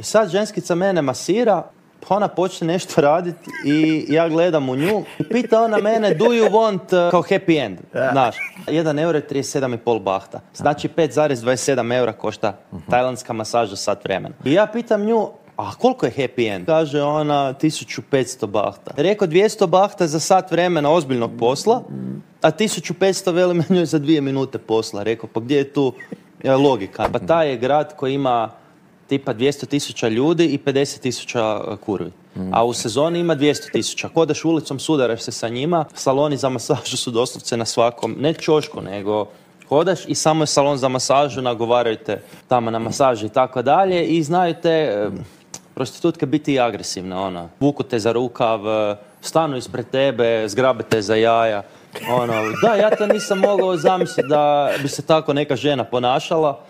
Sad ženskica mene masira, pa ona počne nešto raditi i ja gledam u nju i pita ona mene do you want kao happy end, znaš. 1 euro je 37,5 bahta. Znači 5,27 eura košta tajlandska masaža sat vremena. I ja pitam nju, a koliko je happy end? Kaže ona 1500 bahta. Rekao 200 bahta za sat vremena ozbiljnog posla, a 1500 veli meni za 2 minute posla. Rekao, pa gdje je tu logika? Pa taj je grad koji ima tipa 200,000 ljudi i 50,000 kurvi. A u sezoni ima 200,000. Kodaš ulicom, sudaraš se sa njima. Saloni za masažu su doslovce na svakom, ne ćošku, nego hodaš i samo je salon za masažu, nagovaraju te tamo na masaži i tako dalje. I znaju te prostitutke biti i agresivne. Ono. Vuku te za rukav, stanu ispred tebe, zgrabe te za jaja. Da, ja to nisam mogao zamisliti da bi se tako neka žena ponašala.